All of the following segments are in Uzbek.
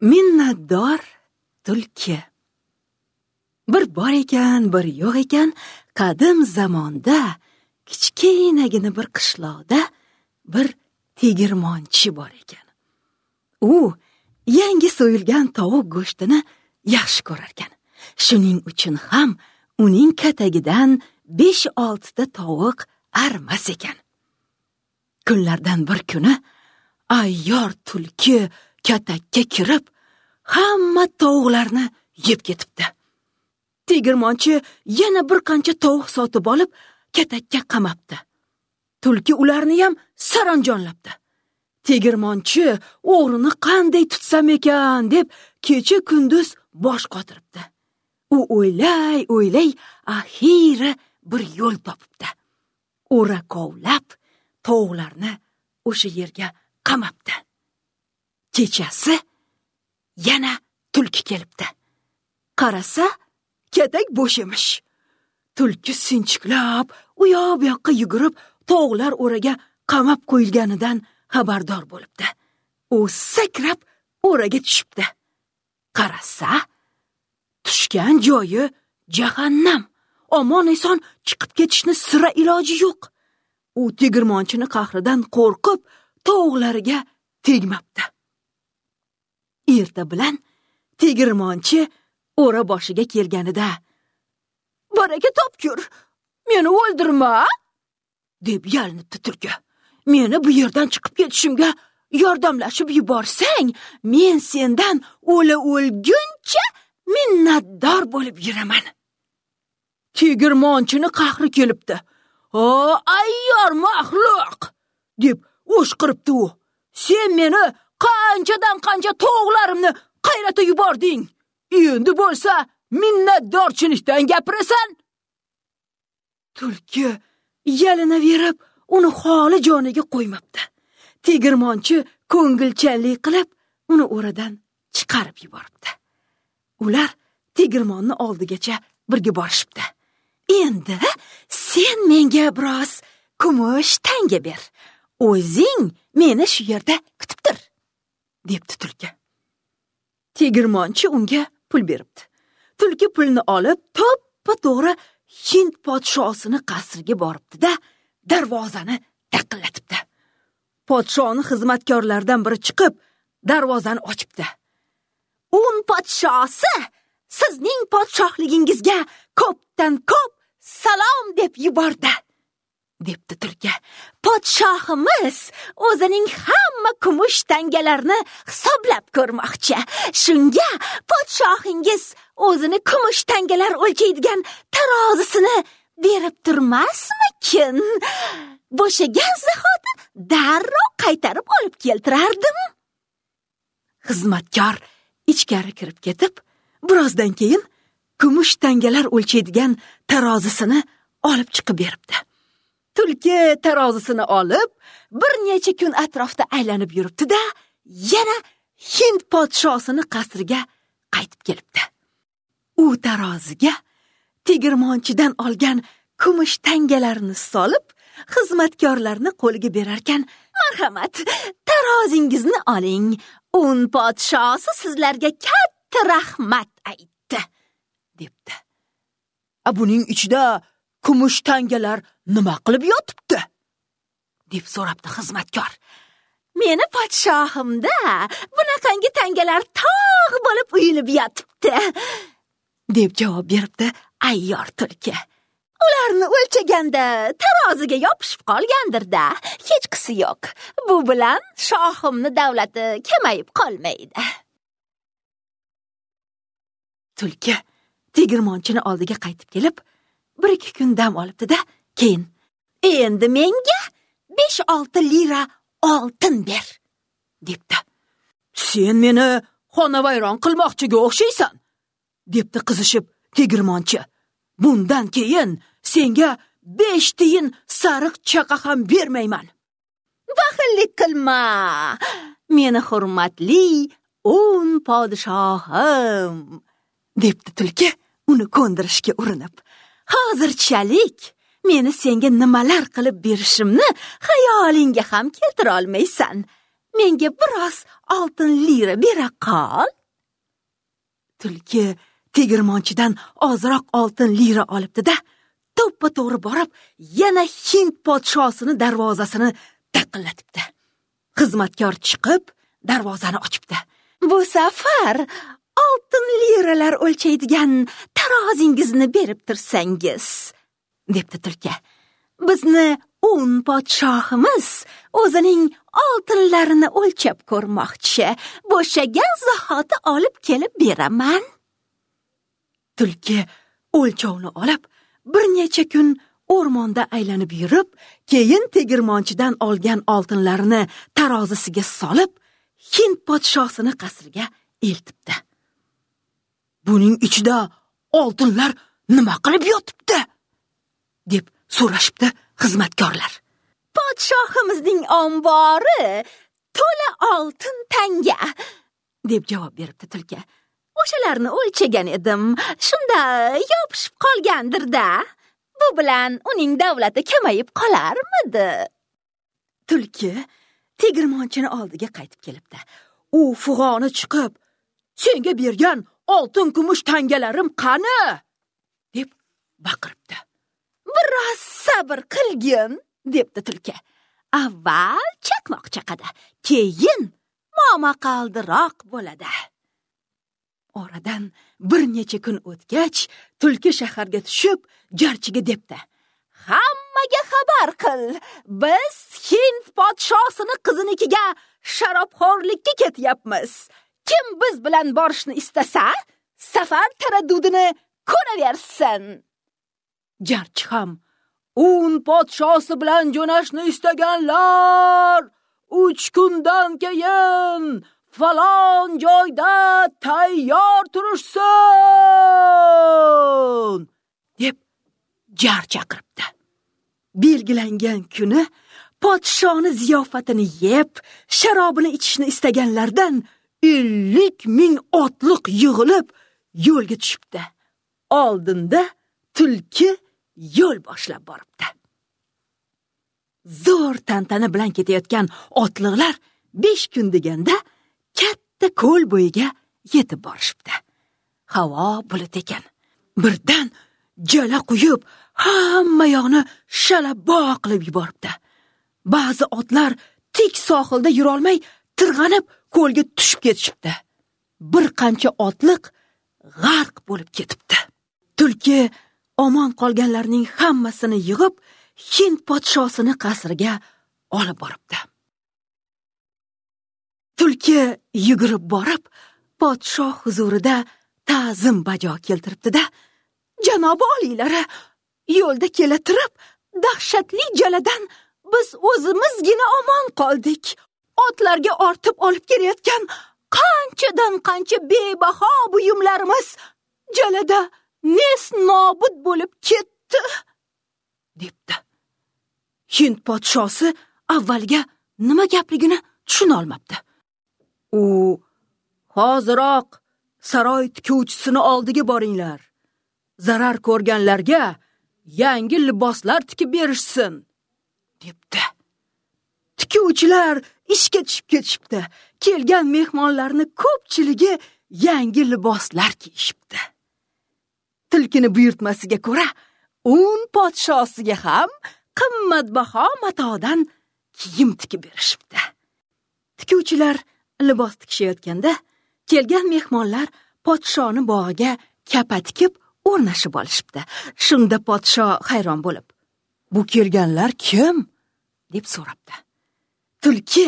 Minnatdor tulki. Bir bor ekan, bir yo'q ekan, qadim zamonda kichkinagina bir qishloqda bir tegirmonchi bor ekan. U yangi so'yilgan tovuq go'shtini yaxshi ko'rar ekan. Shuning uchun ham uning katagidan 5-6 ta tovuq armas ekan. Kunlardan bir kuni ayyor tulki katakka kirib, hamma tovuqlarni yeb ketibdi. Tegirmonchi yana bir qancha tovuq sotib olib, katakka qamabdi. Tulki ularni ham saranjonlabdi. Tegirmonchi o'g'rini qanday tutsam ekan deb kecha kunduz bosh qotiribdi. U o'ylay-o'ylay axiri bir yo'l topibdi. O'ra kovlab tovuqlarni o'sha yerga qamabdi. Kechasi yana tulki kelibdi. Qarasa, katak bo'sh emish. Tulki sinchiklab u yoq bu yoqqa yugurib, tovuqlar o'raga qamab qo'yilganidan xabardor bo'libdi. U sakrab o'raga tushibdi. Qarasa, tushgan joyi jahannam. Omon eson chiqib ketishni sira iloji yo'q. U tegirmonchini qahridan qo'rqib, tovuqlariga tegmabdi. Erta bilan tegirmonchi o'ra boshiga kelganida, "Baraka topkur, meni o'ldirma!" deb yalinibdi tulki. "Meni bu yerdan chiqib ketishimga yordamlashib yuborsang, men sendan o'la o'lguncha minnatdor bo'lib yuraman." Tegirmonchini qahri kelibdi. "O, ayyor maxluq!" deb o'shqiribdi u. "Sen meni qanchadan qancha tovuqlarimni qayrata yubording. Endi bo'lsa minnatdorchilikdan gapirasan." Tulki yalinaverib, uni holi joniga qo'ymabdi. Tegirmonchi ko'ngilchanlik qilib, uni o'radan chiqarib yuboribdi. Ular tegirmonni oldigacha birga borishibdi. "Endi sen menga biroz kumush tanga ber. O'zing meni shu yerda kutib tur", debdi tulki. Tegirmonchi unga pul beribdi. Tulki pulni olib, to'ppa-to'g'ri Hind podshosini qasriga boribdi-da, darvozani taqillatibdi. Podshoni xizmatkorlaridan biri chiqib, darvozani ochibdi. "Un podshosi sizning podshohligingizga ko'pdan ko'p salom deb yubordi", debdi tulki. "Podshohimiz o'zining hamma kumush tangalarini hisoblab ko'rmoqchi. Shunga podshohingiz o'zini kumush tangalar o'lchaydigan tarozisini berib turmasmikin? Bo'shagan zahoti darrov qaytarib olib keltirardim." Xizmatkor ichkari kirib ketib, birozdan keyin kumush tangalar o'lchaydigan tarozisini olib chiqib beribdi. Tulki tarozisini olib, bir necha kun atrofda aylanib yuribdi-da, yana Hind podshosini qasriga qaytib kelibdi. U taroziga tegirmonchidan olgan kumush tangalarini solib, xizmatkorlarni qo'liga berarkan, "Marhamat, tarozingizni oling. Un podshosi sizlarga katta rahmat aytdi", debdi. "A buning ichida kumush tangalar nima qilib yotibdi?" deb so'rabdi xizmatkor. "Meni podshohimda bunaqangi tangalar tog' bo'lib uyilib yotibdi", deb javob beribdi ayyor tulki. "Ularni o'lchaganda taroziga yopishib qolgandir-da, hechqisi yo'q. Bu bilan shohimni davlati kamayib qolmaydi." Tulki tegirmonchini oldiga qaytib kelib, bir-ikki kun dam olibdi-da, keyin "Endi menga 5-6 lira oltin ber", debdi. "Sen meni xonavayron qilmoqchiga o'xshaysan", debdi qizishib tegirmonchi. "Bundan keyin senga 5 tiyin sariq chaqa ham bermayman." "Baxillik qilma, meni hurmatli un podshohim", debdi tulki uni ko'ndirishga urinib. "Hozirchalik meni senga nimalar qilib berishimni xayolingga ham keltira olmaysan. Menga biroz oltin lira bera qol. Tulki tegirmonchidan ozroq oltin lira olibdi-da, to'ppa-to'g'ri borib, yana Hind podshosini darvozasini taqillatibdi. Xizmatkor chiqib, darvozani ochibdi. Bu safar oltin liralar o'lchaydigan tarozingizni berib tursangiz, debdi tulki. Bizni Un podshohimiz o'zining oltinlarini o'lchab ko'rmoqchi. Bo'shagan zahoti olib kelib beraman. Tulki o'lchovni olib, bir necha kun o'rmonda aylanib yurib, keyin tegirmonchidan olgan oltinlarini tarozisiga solib, Hind podshosini qasriga eltibdi. Buning ichida oltinlar nima qilib yotibdi? Deb so'rashibdi xizmatkorlar. Podshohimizning ombori to'la oltin tanga, deb javob beribdi tulki. O'shalarni o'lchagan edim. Shunda yopishib qolgandir-da. Bu bilan uning davlati kamayib qolarmidi? Tulki tegirmonchini oldiga qaytib kelibdi. U fug'oni chiqib, "Senga bergan oltin kumush tangalarim qani?" deb baqiribdi. Biroz sabr qilgin, debdi tulki. Avval chaqmoq chaqadi, keyin momaqaldiroq bo'ladi. Oradan bir necha kun o'tgach, tulki shaharga tushib, jarchiga debdi: "Hammaga xabar qil, biz Hind podshosini qizinikiga sharobxo'rlikka ketyapmiz. Kim biz bilan borishni istasa, safar taraddudini ko'raversin." Jarchi ham: "Un podshosi bilan jo'nashni istaganlar 3 kundan keyin falon joyda tayyor turishsin!" deb jar chaqiribdi. Belgilangan kuni podshoni ziyofatini yeb, sharobini ichishni istaganlardan 50 ming otliq yig'ilib yo'lga tushibdi. Oldinda tulki yo'l boshlab boribdi. Zo'r tantana bilan ketayotgan otliqlar 5 kun deganda katta ko'l bo'yiga yetib borishibdi. Havo bulut ekan. Birdan jala quyib, hamma yoqni shalabo qilib yuboribdi. Ba'zi otlar tik sohilda yurolmay tirg'anib ko'lga tushib ketishibdi. Bir qancha otliq g'arq bo'lib ketibdi. Tulki omon qolganlarning hammasini yig'ib, Hind podshosini qasriga olib boribdi. Tulki yugurib borib, podshoh huzurida ta'zim bajo keltiribdi-da, "Janobi oliylari, yo'lda kela turib, dahshatli jaladan biz o'zimizgina omon qoldik. Otlarga ortib olib kelayotgan qanchadan qancha bebaho buyumlarimiz jalada nes nobud bo'lib ketdi", debdi. Hind podshosi avvalga nima gapligini tushuna olmabdi. U: "Hoziroq saroy tikuvchisini oldiga boringlar. Zarar ko'rganlarga yangi liboslar tikib berishsin", debdi. Tikuvchilar ishga tushib ketishibdi. Kelgan mehmonlarni ko'pchiligi yangi liboslar kiyishibdi. Tulkini buyurtmasiga ko'ra, Un podshosiga ham qimmatbaho matodan kiyim tikib berishibdi. Tikuvchilar libos tikishayotganda kelgan mehmonlar podshoni bog'iga kapa tikib o'rnashib olishibdi. Shunda podsho hayron bo'lib, "Bu kelganlar kim?" deb so'rabdi. Tulki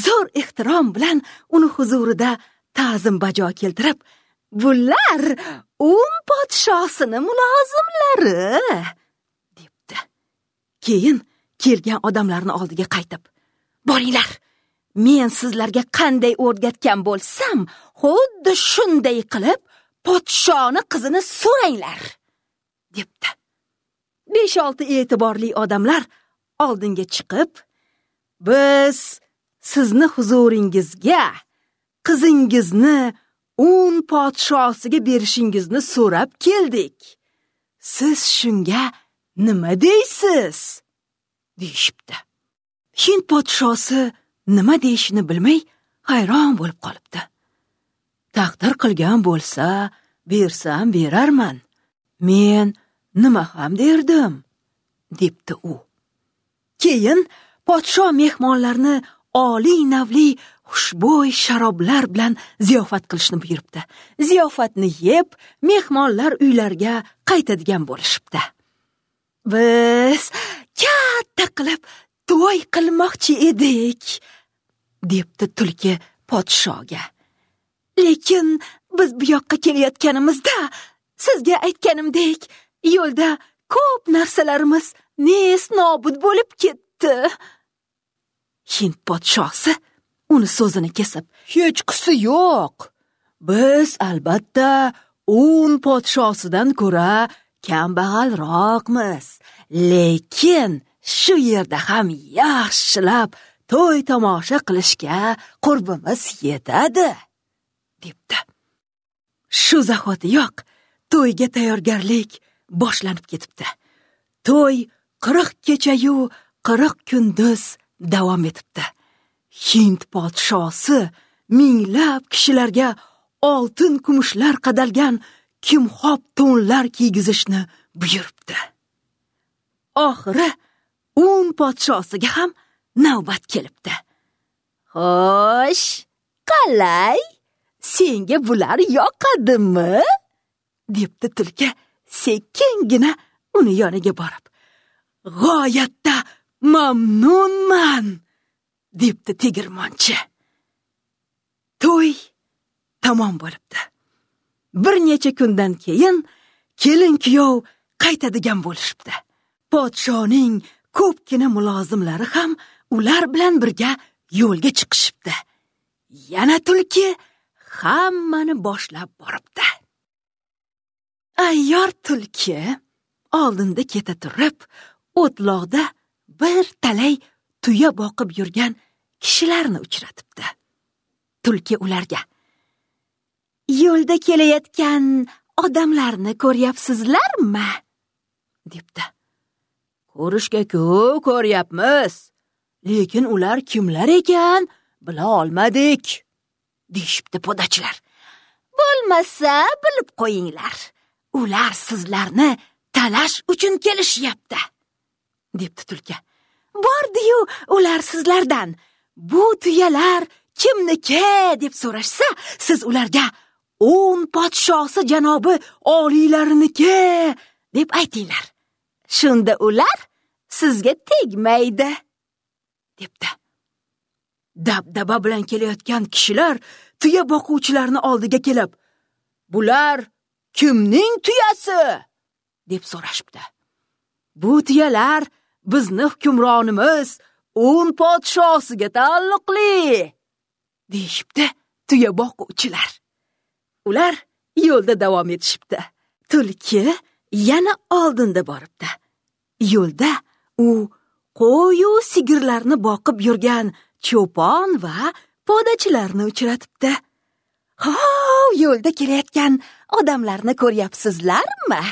zo'r ehtirom bilan uni huzurida ta'zim bajo keltirib, "Bular Un podshosini mulozimlari", debdi. Keyin kelgan odamlarni oldiga qaytib, "Boringlar, men sizlarga qanday o'rgatgan bo'lsam, xuddi shunday qilib podshoni qizini so'ranglar", debdi. 5-6 e'tiborli odamlar oldinga chiqib, "Biz sizni huzuringizga qizingizni Un podshosiga berishingizni so'rab keldik. Siz shunga nima deysiz?" deyishibdi. Hind podshosi nima deyishini bilmay hayron bo'lib qolibdi. Taqdir qilgan bo'lsa, bersam berarman. Men nima ham derdim, debdi u. Keyin podsho mehmonlarni oliy navli xushbo'y sharoblar bilan ziyofat qilishni buyuribdi. Ziyofatni yeb, mehmonlar uylariga qaytadigan bo'lishibdi. Biz katta qilib to'y qilmoqchi edik, debdi tulki podshoga. Lekin biz bu yoqqa kelayotganimizda sizga aytganimdek, yo'lda ko'p narsalarimiz nes nobud bo'lib ketdi. Hind podshosi uni so'zini kesib, hechqisi yo'q. Biz albatta Un podshosidan ko'ra kambag'alroqmiz, lekin shu yerda ham yaxshilab to'y tomosha qilishga qurbimiz yetadi, debdi. Shu zahotiyoq to'yga tayyorgarlik boshlanib ketibdi. To'y 40 kecha-yu 40 kunduz davom etibdi. Hind podshosi minglab kishilarga oltin kumushlar qadalgan kimxob to'nlar kiygizishni buyuribdi. Oxiri Un podshosiga ham navbat kelibdi. Xo'sh, qalay? Senga bular yoqadimi? Debdi tulki sekingina uni yoniga borib. G'oyatda mamnunman, debdi tegirmonchi. To'y tamom bo'libdi. Bir necha kundan keyin kelin kuyov qaytadigan bo'lishibdi. Podshoning ko'pgina mulozimlari ham ular bilan birga yo'lga chiqishibdi. Yana tulki hammani boshlab boribdi. Ayyor tulki oldinda keta turib, o'tloqda bir talay tuya boqib yurgan kishilarni uchratibdi. Tulki ularga: "Yo'lda kelayotgan odamlarni ko'ryapsizlarmi?" debdi. Ko'rishga-ku ko'ryapmiz, lekin ular kimlar ekan bila olmadik, deyishibdi podachilar. Bo'lmasa bilib qo'yinglar, ular sizlarni talash uchun kelishyapti, debdi tulki. Bordi-yu ular sizlardan bu tuyalar kimniki deb so'rashsa, siz ularga Un podshosi janobi oliylarniki deb aytinglar. Shunda ular sizga tegmaydi, debdi. Dabdaba bilan kelayotgan kishilar tuya boquvchilarni oldiga kelib, "Bular kimning tuyasi?" deb so'rashibdi. "Bu tuyalar bizni hukmronimiz Un podshosiga taalluqli", deyishibdi tuya boquvchilar. Ular yo'lda davom etishibdi. Tulki yana oldinda boribdi. Yo'lda u qo'yu sigirlarni boqib yurgan cho'pon va podachilarni uchratibdi. "Hov, yo'lda kelayotgan odamlarni ko'ryapsizlarmi?"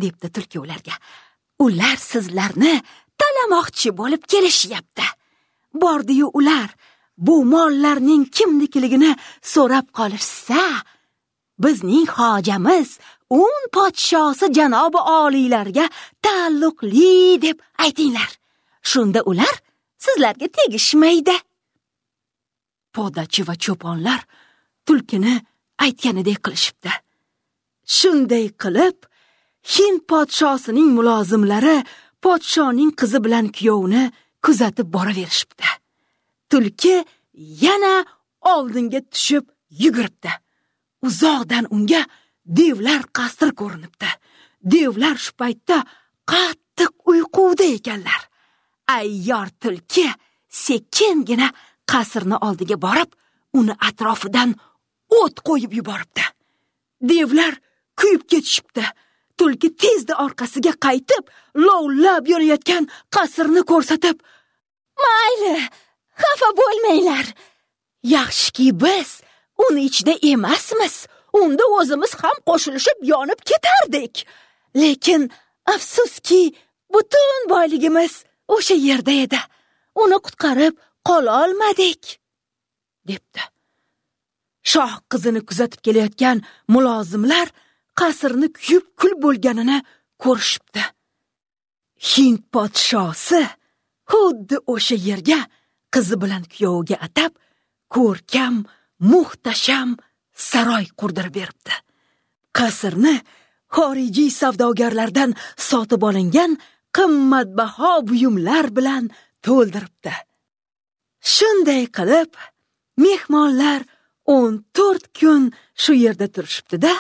debdi tulki ularga. "Ular sizlarni talamoqchi bo'lib kelishyapti. Bordi-yu ular bu mollarning kimnikiligini so'rab qolishsa, bizning hojamiz Un podshosi janobi oliylarga taalluqli deb aytinglar. Shunda ular sizlarga tegishmaydi." Podachi va cho'ponlar tulkini aytganidek qilishibdi. Shunday qilib, Hind podshosining mulozimlari podshoning qizi bilan kuyovini kuzatib boraverishibdi. Tulki yana oldinga tushib yuguribdi. Uzoqdan unga devlar qasri ko'rinibdi. Devlar shu paytda qattiq uyquda ekanlar. Ayyor tulki sekingina qasrni oldiga borib, uni atrofidan o't qo'yib yuboribdi. Devlar kuyib ketishibdi. Tulki tezda orqasiga qaytib, lovlab yonayotgan qasrni ko'rsatib, "Mayli, xafa bo'lmanglar. Yaxshiki biz uni ichida emasmiz. Unda o'zimiz ham qo'shilishib yonib ketardik. Lekin afsuski, butun boyligimiz o'sha yerda edi. Uni qutqarib qololmadik, debdi. Shoh qizini kuzatib kelayotgan mulozimlar qasrni kuyib kul bo'lganini ko'rishibdi. Hind podshosi xuddi o'sha yerga qizi bilan kuyoviga atab ko'rkam, muhtasham saroy qurdirib beribdi. Qasrni xorijiy savdogarlardan sotib olingan qimmatbaho buyumlar bilan to'ldiribdi. Shunday qilib, mehmonlar 14 kun shu yerda turishibdi-da,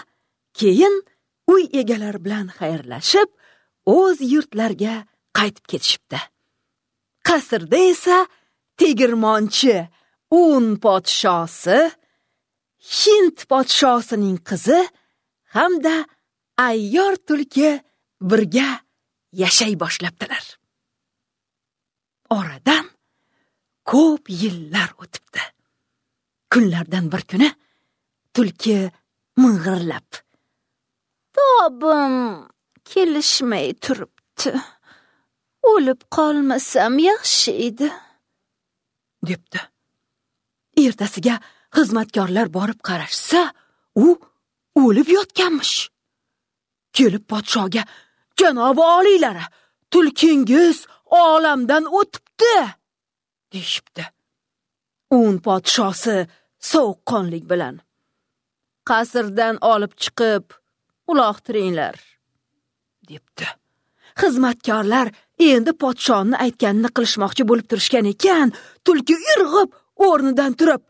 keyin uy egalari bilan xayrlashib, o'z yurtlariga qaytib ketishibdi. Qasrda esa tegirmonchi Un podshosi, Hind podshosining qizi hamda ayyor tulki birga yashay boshlabdilar. Oradan ko'p yillar o'tibdi. Kunlardan bir kuni tulki ming'irlab, "Tobim kelishmay turibdi. O'lib qolmasam yaxshi edi", debdi. Ertasiga xizmatkorlar borib qarashsa, u o'lib yotganmish. Kelib podshoga, "Janobi oliylari, tulkingiz olamdan o'tibdi", deyishibdi. Un podshosi sovuqqonlik bilan, "Qasrdan olib chiqib uloqtiringlar", debdi. Xizmatkorlar endi podshoni aytganini qilishmoqchi bo'lib turishgan ekan, tulki irg'ib o'rnidan turib,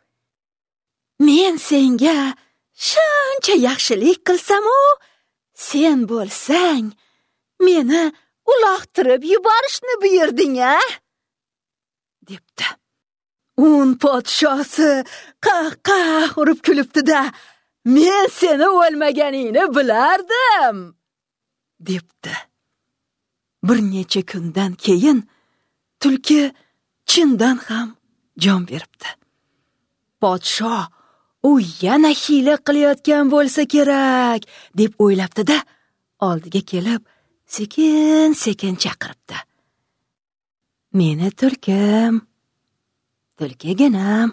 "Men senga shuncha yaxshilik qilsam-u, sen bo'lsang meni uloqtirib yuborishni buyurding-a?" debdi. Un podshosi qah-qah urib kulibdi-da, "Men seni o'lmaganingni bilardim", debdi. Bir necha kundan keyin tulki chindan ham jon beribdi. Podsho u yana hiyla qilayotgan bo'lsa kerak deb o'ylabdi-da, oldiga kelib sekin-sekin chaqiribdi. "Meni tulkim, tulkiginam."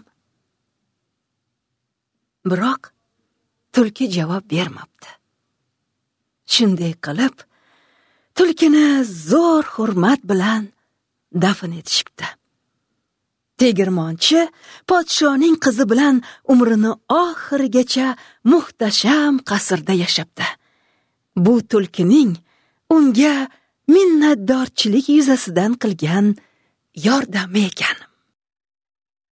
Biroq tulki javob bermabdi. Shunday qilib tulkini zo'r hurmat bilan dafn etishibdi. Tegirmonchi podshoning qizi bilan umrini oxirigacha muhtasham qasrda yashabdi. Bu tulkining unga minnatdorchilik yuzasidan qilgan yordami ekan.